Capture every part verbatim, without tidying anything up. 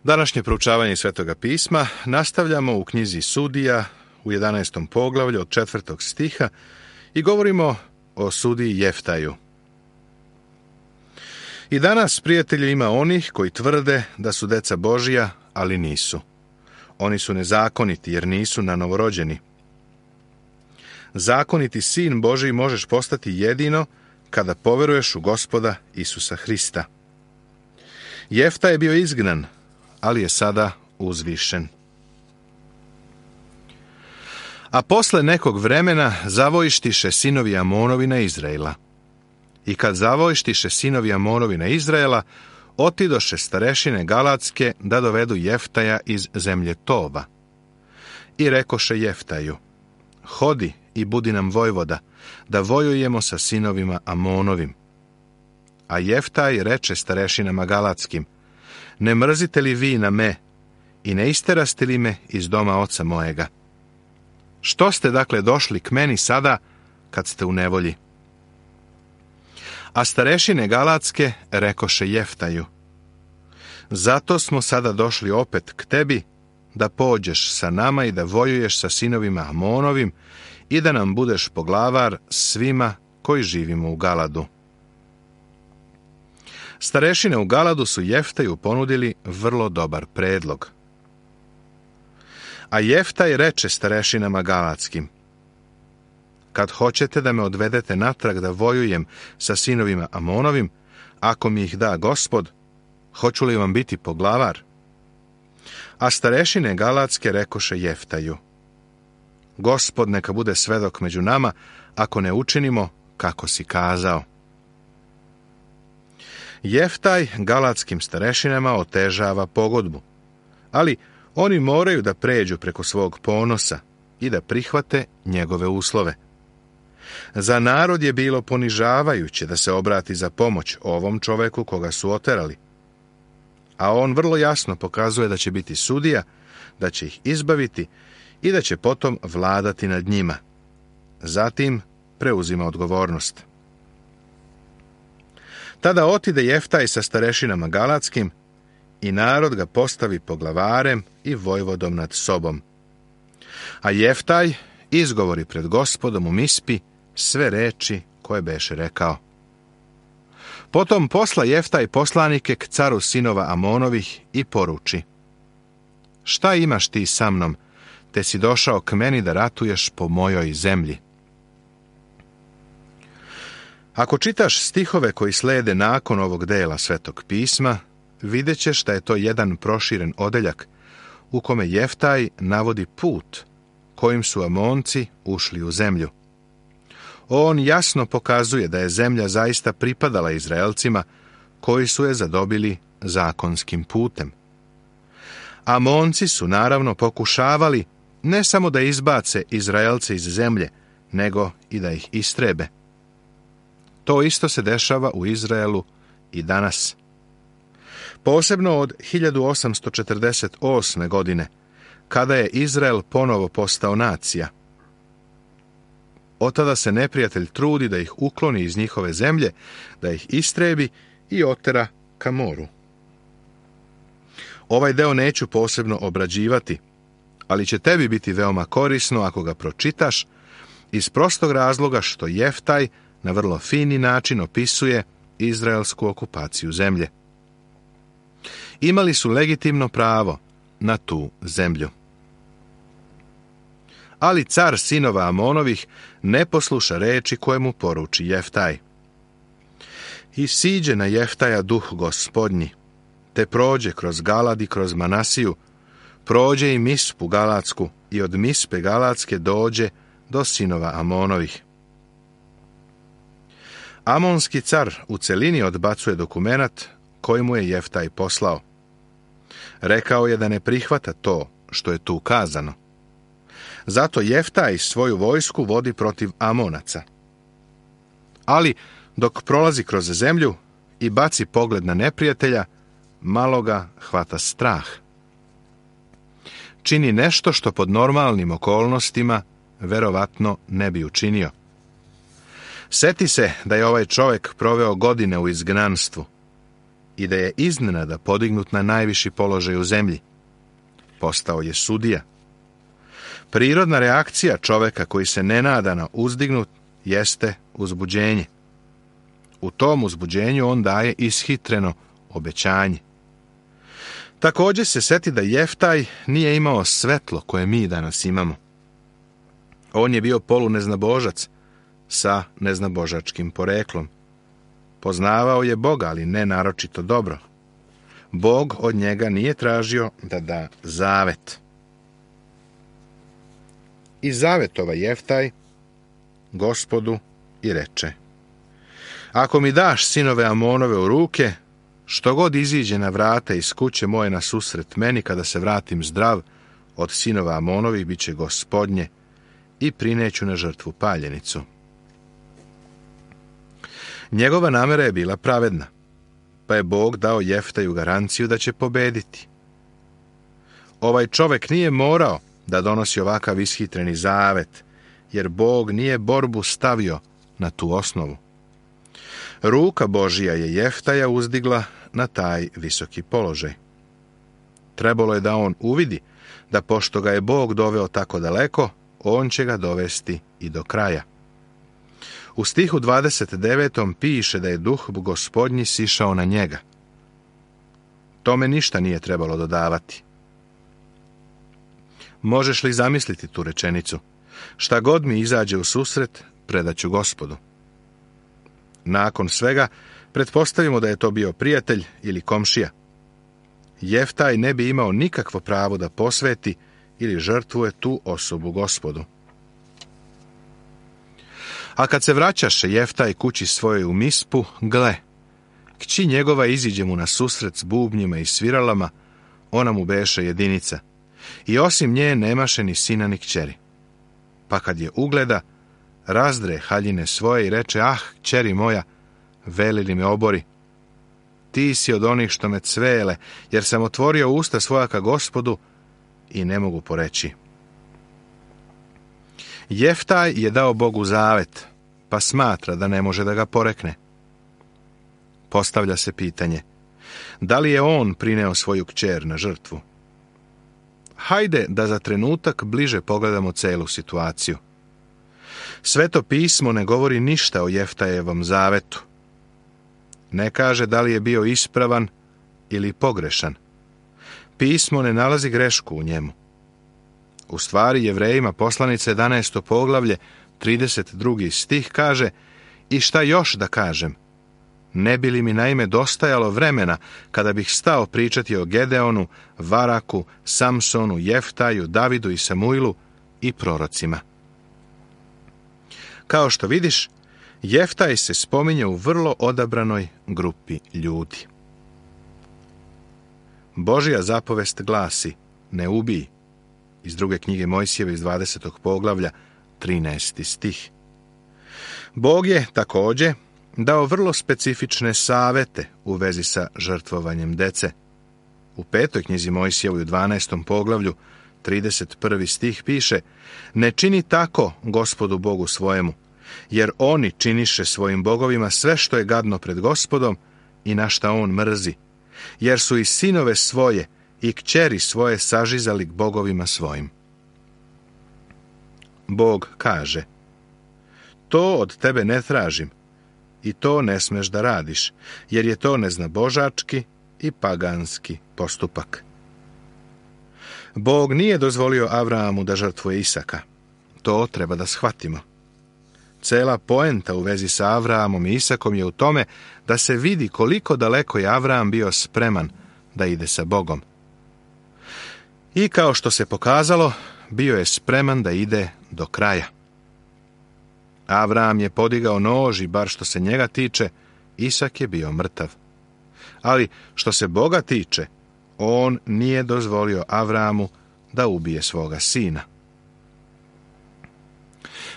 Današnje proučavanje Svetoga pisma nastavljamo u knjizi Sudija u jedanaestom poglavlju od četvrtog stiha i govorimo o sudiji Jeftaju. I danas, prijatelji, ima onih koji tvrde da su deca Božija, ali nisu. Oni su nezakoniti jer nisu na novorođeni. Zakoniti sin Božiji možeš postati jedino kada poveruješ u Gospoda Isusa Hrista. Jefta je bio izgnan, ali je sada uzvišen. A posle nekog vremena zavojištiše sinovi Amonovi na Izraela. I kad zavojištiše sinovi Amonovi na Izraela, otidoše starešine Galatske da dovedu Jeftaja iz zemlje Tova. I rekoše Jeftaju: hodi i budi nam vojvoda, da vojujemo sa sinovima Amonovim. A Jeftaj reče starešinama Galatskim: ne mrzite li vi na me i ne isteraste li me iz doma oca mojega? Što ste dakle došli k meni sada kad ste u nevolji? A starešine Galatske rekoše Jeftaju: zato smo sada došli opet k tebi, da pođeš sa nama i da vojuješ sa sinovima Amonovim i da nam budeš poglavar svima koji živimo u Galadu. Starešine u Galadu su Jeftaju ponudili vrlo dobar predlog. A Jeftaj reče starešinama Galatskim: kad hoćete da me odvedete natrag da vojujem sa sinovima Amonovim, ako mi ih da Gospod, hoću li vam biti poglavar? A starešine Galatske rekoše Jeftaju: Gospod neka bude svedok među nama, ako ne učinimo kako si kazao. Jeftaj Galatskim starešinama otežava pogodbu, ali oni moraju da pređu preko svog ponosa i da prihvate njegove uslove. Za narod je bilo ponižavajuće da se obrati za pomoć ovom čoveku koga su oterali. A on vrlo jasno pokazuje da će biti sudija, da će ih izbaviti i da će potom vladati nad njima. Zatim preuzima odgovornost. Tada otide Jeftaj sa starešinama Galatskim i narod ga postavi poglavarem i vojvodom nad sobom. A Jeftaj izgovori pred Gospodom u Mispi sve reči koje beše rekao. Potom posla Jeftaj poslanike k caru sinova Amonovih i poruči: šta imaš ti sa mnom, te si došao k meni da ratuješ po mojoj zemlji? Ako čitaš stihove koji slede nakon ovog dela Svetog pisma, vidjet ćeš da je to jedan proširen odeljak u kome Jeftaj navodi put kojim su Amonci ušli u zemlju. On jasno pokazuje da je zemlja zaista pripadala Izraelcima koji su je zadobili zakonskim putem. Amonci su naravno pokušavali ne samo da izbace Izraelce iz zemlje, nego i da ih istrebe. To isto se dešava u Izraelu i danas. Posebno od hiljadu osamsto četrdeset osme. godine, kada je Izrael ponovo postao nacija. Od tada se neprijatelj trudi da ih ukloni iz njihove zemlje, da ih istrebi i otera ka moru. Ovaj deo neću posebno obrađivati, ali će tebi biti veoma korisno ako ga pročitaš, iz prostog razloga što Jeftaj na vrlo fini način opisuje izraelsku okupaciju zemlje. Imali su legitimno pravo na tu zemlju. Ali car sinova Amonovih ne posluša reči koje mu poruči Jeftaj. I siđe na Jeftaja duh Gospodnji, te prođe kroz Galad i kroz Manasiju, prođe i Mispu Galatsku i od Mispe Galatske dođe do sinova Amonovih. Amonski car u celini odbacuje dokumenat koji mu je Jeftaj poslao. Rekao je da ne prihvata to što je tu kazano. Zato Jeftaj svoju vojsku vodi protiv Amonaca. Ali dok prolazi kroz zemlju i baci pogled na neprijatelja, malo ga hvata strah. Čini nešto što pod normalnim okolnostima verovatno ne bi učinio. Seti se da je ovaj čovjek proveo godine u izgnanstvu i da je iznenada podignut na najviši položaj u zemlji. Postao je sudija. Prirodna reakcija čoveka koji se nenadano uzdignut jeste uzbuđenje. U tom uzbuđenju on daje ishitreno obećanje. Također se seti da Jeftaj nije imao svetlo koje mi danas imamo. On je bio poluneznabožac sa neznabožačkim poreklom. Poznavao je Boga, ali ne naročito dobro. Bog od njega nije tražio da da zavet. I zavetova Jeftaj Gospodu i reče: ako mi daš sinove Amonove u ruke, što god iziđe na vrata iz kuće moje na susret meni kada se vratim zdrav, od sinova Amonovih bit će Gospodnje i prineću na žrtvu paljenicu. Njegova namera je bila pravedna, pa je Bog dao Jeftaju garanciju da će pobediti. Ovaj čovek nije morao da donosi ovakav ishitreni zavet, jer Bog nije borbu stavio na tu osnovu. Ruka Božija je Jeftaja uzdigla na taj visoki položaj. Trebalo je da on uvidi da pošto ga je Bog doveo tako daleko, on će ga dovesti i do kraja. U stihu dvadeset devetom piše da je duh Gospodnji sišao na njega. Tome ništa nije trebalo dodavati. Možeš li zamisliti tu rečenicu? Šta god mi izađe u susret, predaću Gospodu. Nakon svega, pretpostavimo da je to bio prijatelj ili komšija. Jeftaj ne bi imao nikakvo pravo da posveti ili žrtvuje tu osobu Gospodu. A kad se vraćaše Jeftaj kući svojoj u Mispu, gle, kći njegova iziđe mu na susret s bubnjima i sviralama, ona mu beše jedinica, i osim nje nemaše ni sina ni kćeri. Pa kad je ugleda, razdre haljine svoje i reče: ah, kćeri moja, veli li me obori? Ti si od onih što me cvele, jer sam otvorio usta svoja ka Gospodu i ne mogu poreći. Jeftaj je dao Bogu zavet, pa smatra da ne može da ga porekne. Postavlja se pitanje: da li je on prineo svoju kćer na žrtvu? Hajde da za trenutak bliže pogledamo celu situaciju. Sveto pismo ne govori ništa o Jeftajevom zavetu. Ne kaže da li je bio ispravan ili pogrešan. Pismo ne nalazi grešku u njemu. U stvari, Jevrejima poslanica jedanaesto poglavlje, trideset drugi stih kaže: i šta još da kažem? Ne bi li mi naime dostajalo vremena kada bih stao pričati o Gedeonu, Varaku, Samsonu, Jeftaju, Davidu i Samuilu i prorocima. Kao što vidiš, Jeftaj se spominje u vrlo odabranoj grupi ljudi. Božja zapovest glasi: ne ubij, iz druge knjige Mojsijeve iz dvadesetog poglavlja, trinaesti stih. Bog je također dao vrlo specifične savete u vezi sa žrtvovanjem dece. U petoj knjizi Mojsijevoj u dvanaestom poglavlju, trideset prvi stih piše: ne čini tako Gospodu Bogu svojemu, jer oni činiše svojim bogovima sve što je gadno pred Gospodom i na šta on mrzi, jer su i sinove svoje i kćeri svoje sažizali k bogovima svojim. Bog kaže: to od tebe ne tražim i to ne smeš da radiš, jer je to neznabožački i paganski postupak. Bog nije dozvolio Abrahamu da žrtvuje Isaka. To treba da shvatimo. Cela poenta u vezi sa Avrahamom i Isakom je u tome da se vidi koliko daleko je Avraham bio spreman da ide sa Bogom. I kao što se pokazalo, bio je spreman da ide do kraja. Avraham je podigao nož i bar što se njega tiče, Isak je bio mrtav. Ali što se Boga tiče, on nije dozvolio Avrahamu da ubije svoga sina.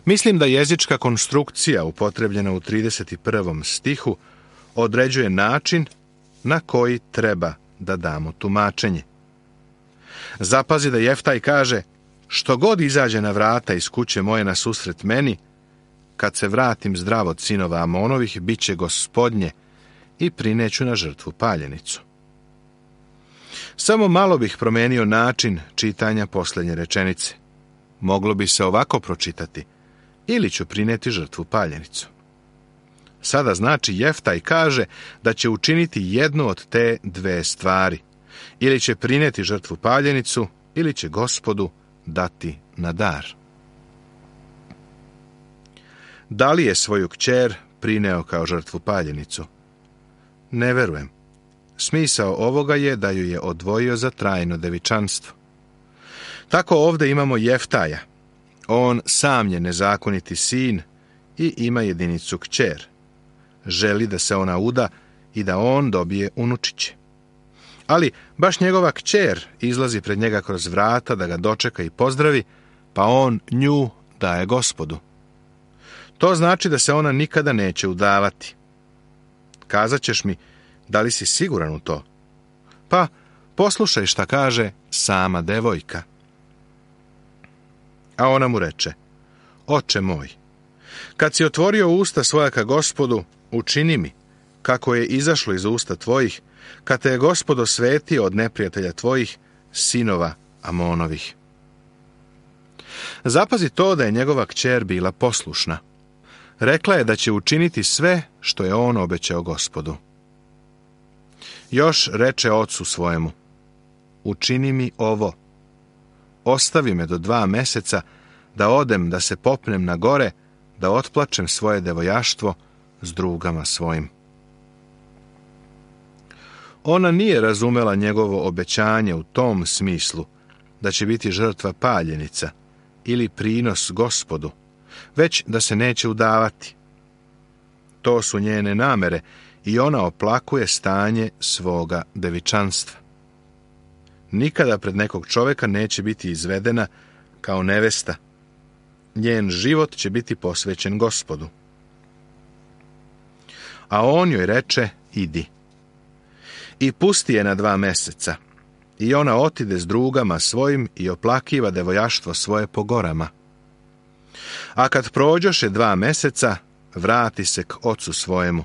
Mislim da jezička konstrukcija upotrebljena u trideset prvom stihu određuje način na koji treba da damo tumačenje. Zapazi da Jeftaj kaže: što god izađe na vrata iz kuće moje na susret meni, kad se vratim zdrav od sinova Amonovih, bit će Gospodnje i prineću na žrtvu paljenicu. Samo malo bih promenio način čitanja posljednje rečenice. Moglo bi se ovako pročitati: ili ću prineti žrtvu paljenicu. Sada znači Jeftaj kaže da će učiniti jednu od te dve stvari. Ili će prineti žrtvu paljenicu, ili će Gospodu dati na dar. Da li je svoju kćer prineo kao žrtvu paljenicu? Ne verujem. Smisao ovoga je da ju je odvojio za trajno devičanstvo. Tako ovdje imamo Jeftaja. On sam je nezakoniti sin i ima jedinicu kćer. Želi da se ona uda i da on dobije unučiće. Ali baš njegova kćer izlazi pred njega kroz vrata da ga dočeka i pozdravi, pa on nju daje Gospodu. To znači da se ona nikada neće udavati. Kazat ćeš mi, da li si siguran u to? Pa, poslušaj šta kaže sama devojka. A ona mu reče: Oče moj, kad si otvorio usta svoja ka Gospodu, učini mi, kako je izašlo iz usta tvojih, kad te je Gospod osvetio od neprijatelja tvojih, sinova Amonovih. Zapazi to da je njegova kćer bila poslušna. Rekla je da će učiniti sve što je on obećao Gospodu. Još reče ocu svojemu: Učini mi ovo. Ostavi me do dva meseca da odem, da se popnem na gore, da otplačem svoje devojaštvo s drugama svojim. Ona nije razumela njegovo obećanje u tom smislu da će biti žrtva paljenica ili prinos Gospodu, već da se neće udavati. To su njene namere i ona oplakuje stanje svoga devičanstva. Nikada pred nekog čovjeka neće biti izvedena kao nevesta. Njen život će biti posvećen Gospodu. A on joj reče: Idi. I pusti je na dva meseca. I ona otide s drugama svojim i oplakiva devojaštvo svoje po gorama. A kad prođoše dva meseca, vrati se k ocu svojemu.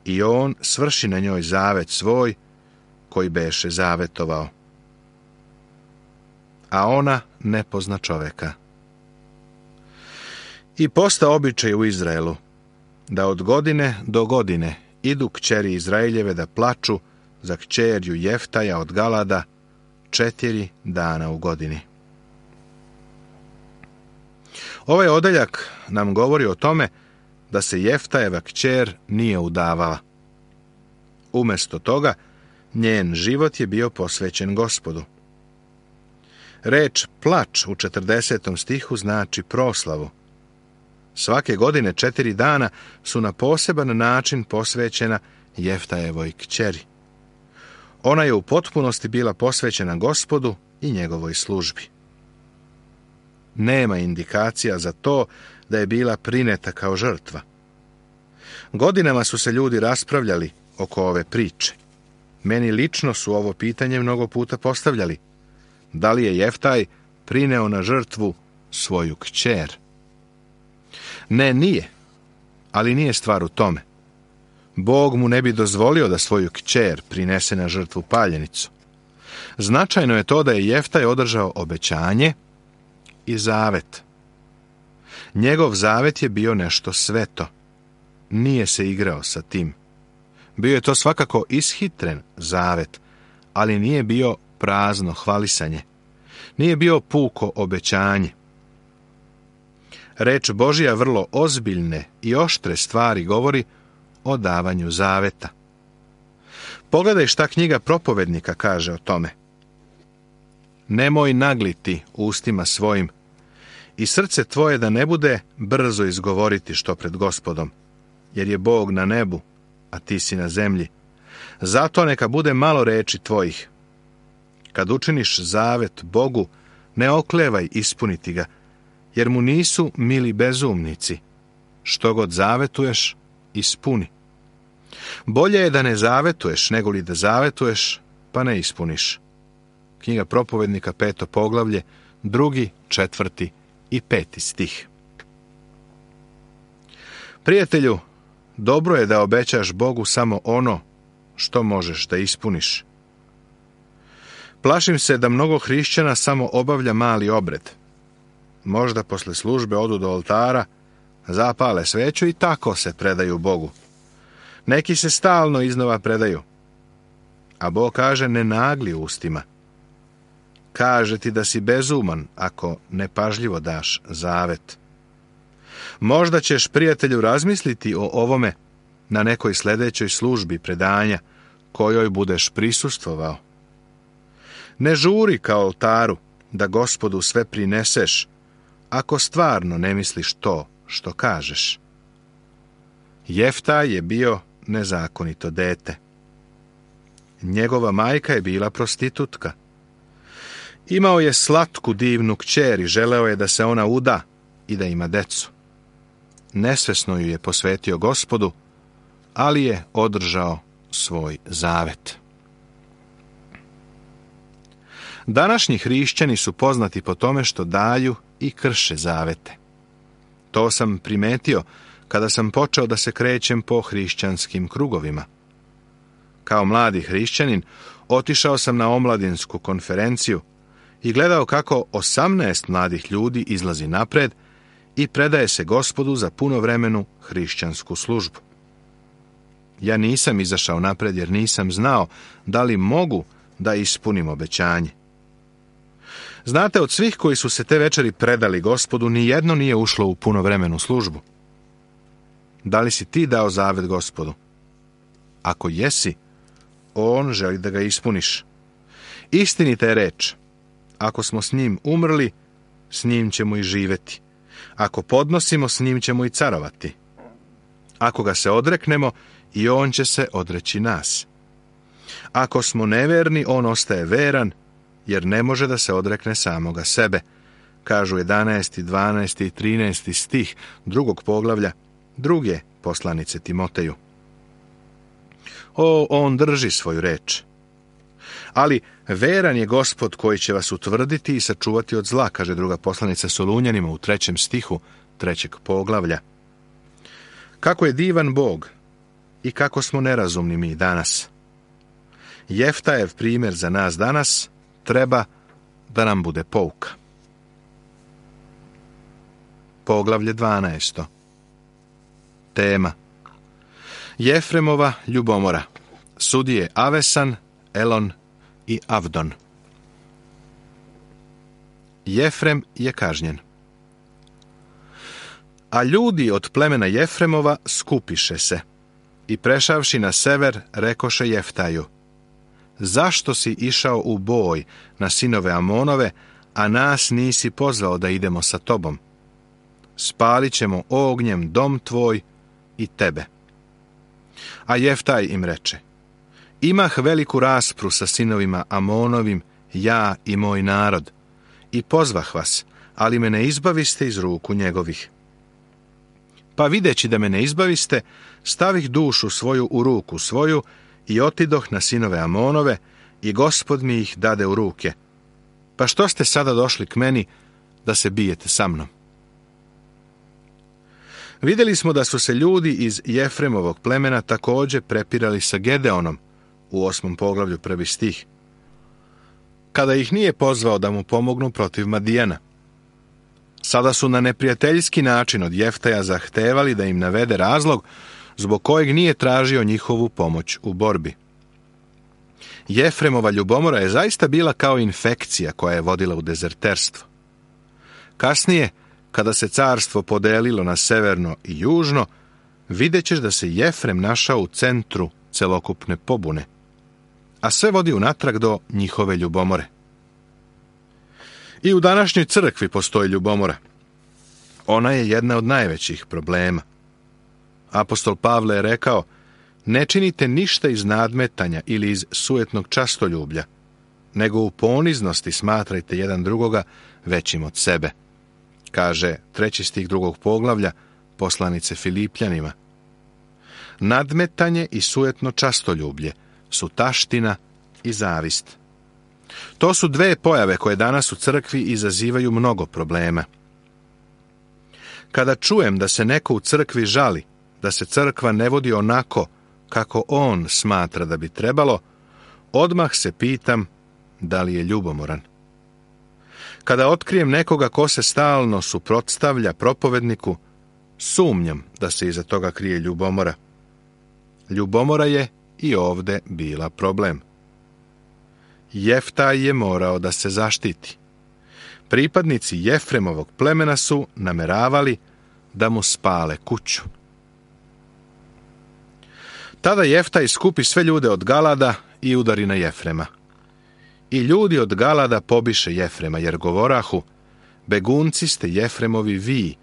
I on svrši na njoj zavet svoj, koji beše zavetovao. A ona ne pozna čoveka. I posta običaj u Izraelu, da od godine do godine idu kćeri Izraeljeve da plaču za kćerju Jeftaja od Galada četiri dana u godini. Ovaj odeljak nam govori o tome da se Jeftajeva kćer nije udavala. Umjesto toga, njen život je bio posvećen Gospodu. Reč plač u četrdesetom stihu znači proslavu. Svake godine četiri dana su na poseban način posvećena Jeftajevoj kćeri. Ona je u potpunosti bila posvećena Gospodu i njegovoj službi. Nema indikacija za to da je bila prineta kao žrtva. Godinama su se ljudi raspravljali oko ove priče. Meni lično su ovo pitanje mnogo puta postavljali. Da li je Jeftaj prineo na žrtvu svoju kćer? Ne, nije. Ali nije stvar u tome. Bog mu ne bi dozvolio da svoju kćer prinese na žrtvu paljenicu. Značajno je to da je Jeftaj održao obećanje i zavet. Njegov zavet je bio nešto sveto. Nije se igrao sa tim. Bio je to svakako ishitren zavet, ali nije bio prazno hvalisanje. Nije bio puko obećanje. Reč Božja vrlo ozbiljne i oštre stvari govori o davanju zaveta. Pogledaj šta knjiga Propovednika kaže o tome. Nemoj nagliti ustima svojim i srce tvoje da ne bude brzo izgovoriti što pred Gospodom, jer je Bog na nebu, a ti si na zemlji. Zato neka bude malo reči tvojih. Kad učiniš zavet Bogu, ne oklevaj ispuniti ga, jer mu nisu mili bezumnici. Što god zavetuješ, ispuni. Bolje je da ne zavetuješ, nego li da zavetuješ, pa ne ispuniš. Knjiga Propovednika, peto poglavlje, drugi, četvrti i peti stih. Prijatelju, Dobro je da obećaš Bogu samo ono što možeš da ispuniš. Plašim se da mnogo hrišćana samo obavlja mali obred. Možda posle službe odu do oltara, zapale sveću i tako se predaju Bogu. Neki se stalno iznova predaju. A Bog kaže ne nagli ustima. Kaže ti da si bezuman ako nepažljivo daš zavet. Možda ćeš, prijatelju, razmisliti o ovome na nekoj sljedećoj službi predanja kojoj budeš prisustvovao. Ne žuri ka oltaru da Gospodu sve prineseš ako stvarno ne misliš to što kažeš. Jeftaj je bio nezakonito dete. Njegova majka je bila prostitutka. Imao je slatku divnu kćer i želeo je da se ona uda i da ima decu. Nesvesno ju je posvetio Gospodu, ali je održao svoj zavet. Današnji hrišćani su poznati po tome što daju i krše zavete. To sam primetio kada sam počeo da se krećem po hrišćanskim krugovima. Kao mladi hrišćanin otišao sam na omladinsku konferenciju i gledao kako osamnaest mladih ljudi izlazi napred i predaje se Gospodu za punovremenu hrišćansku službu. Ja nisam izašao napred jer nisam znao da li mogu da ispunim obećanje. Znate, od svih koji su se te večeri predali Gospodu, ni jedno nije ušlo u punovremenu službu. Da li si ti dao zavet Gospodu? Ako jesi, on želi da ga ispuniš. Istinita je reč. Ako smo s njim umrli, s njim ćemo i živeti. Ako podnosimo, s njim ćemo i carovati. Ako ga se odreknemo, i on će se odreći nas. Ako smo neverni, on ostaje veran, jer ne može da se odrekne samoga sebe, kažu jedanaesti, dvanaesti i trinaesti stih drugog poglavlja druge poslanice Timoteju. O, on drži svoju reč. Ali veran je Gospod koji će vas utvrditi i sačuvati od zla, kaže druga poslanica Solunjanima u trećem stihu trećeg poglavlja. Kako je divan Bog i kako smo nerazumni mi danas. Jeftajev primjer za nas danas treba da nam bude pouka. Poglavlje dvanaesto. Tema: Jefremova ljubomora. Sudije Avesan, Elon i Avdon. Jefrem je kažnjen. A ljudi od plemena Jefremova skupiše se i prešavši na sever rekoše Jeftaju: zašto si išao u boj na sinove Amonove, a nas nisi pozvao da idemo sa tobom? Spalit ćemo ognjem dom tvoj i tebe. A Jeftaj im reče: imah veliku raspru sa sinovima Amonovim, ja i moj narod, i pozvah vas, ali me ne izbaviste iz ruku njegovih. Pa videći da me ne izbaviste, stavih dušu svoju u ruku svoju i otidoh na sinove Amonove, i Gospod mi ih dade u ruke. Pa što ste sada došli k meni da se bijete sa mnom? Vidjeli smo da su se ljudi iz Jefremovog plemena također prepirali sa Gedeonom u osmom poglavlju prvi stih, kada ih nije pozvao da mu pomognu protiv Madijana. Sada su na neprijateljski način od Jeftaja zahtevali da im navede razlog zbog kojeg nije tražio njihovu pomoć u borbi. Jefremova ljubomora je zaista bila kao infekcija koja je vodila u dezerterstvo. Kasnije, kada se carstvo podelilo na severno i južno, vidjet ćeš da se Jefrem našao u centru celokupne pobune, a sve vodi unatrag do njihove ljubomore. I u današnjoj crkvi postoji ljubomora. Ona je jedna od najvećih problema. Apostol Pavle je rekao: ne činite ništa iz nadmetanja ili iz sujetnog častoljublja, nego u poniznosti smatrajte jedan drugoga većim od sebe, kaže treći stih drugog poglavlja poslanice Filipljanima. Nadmetanje i sujetno častoljublje su taština i zavist. To su dve pojave koje danas u crkvi izazivaju mnogo problema. Kada čujem da se neko u crkvi žali da se crkva ne vodi onako kako on smatra da bi trebalo, odmah se pitam da li je ljubomoran. Kada otkrijem nekoga ko se stalno suprotstavlja propovedniku, sumnjam da se iza toga krije ljubomora. Ljubomora je i ovde bila problem. Jeftaj je morao da se zaštiti. Pripadnici Jefremovog plemena su nameravali da mu spale kuću. Tada Jeftaj skupi sve ljude od Galada i udari na Jefrema. I ljudi od Galada pobiše Jefrema, jer govorahu: begunci ste Jefremovi vi,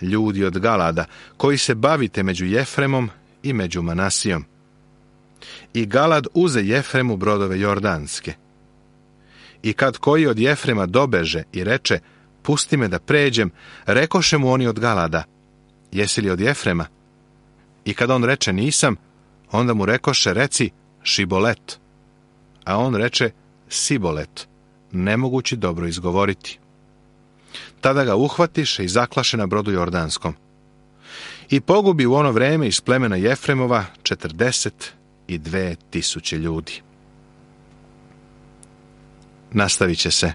ljudi od Galada, koji se bavite među Jefremom i među Manasijom. I Galad uze Jefremu brodove jordanske. I kad koji od Jefrema dobeže i reče: pusti me da pređem, rekoše mu oni od Galada: jesi li od Jefrema? I kad on reče: nisam, onda mu rekoše: reci Šibolet. A on reče: Sibolet, nemogući dobro izgovoriti. Tada ga uhvatiše i zaklaše na brodu jordanskom. I pogubi u ono vreme iz plemena Jefremova četrdeset i dve tisuće ljudi. Nastavit će se.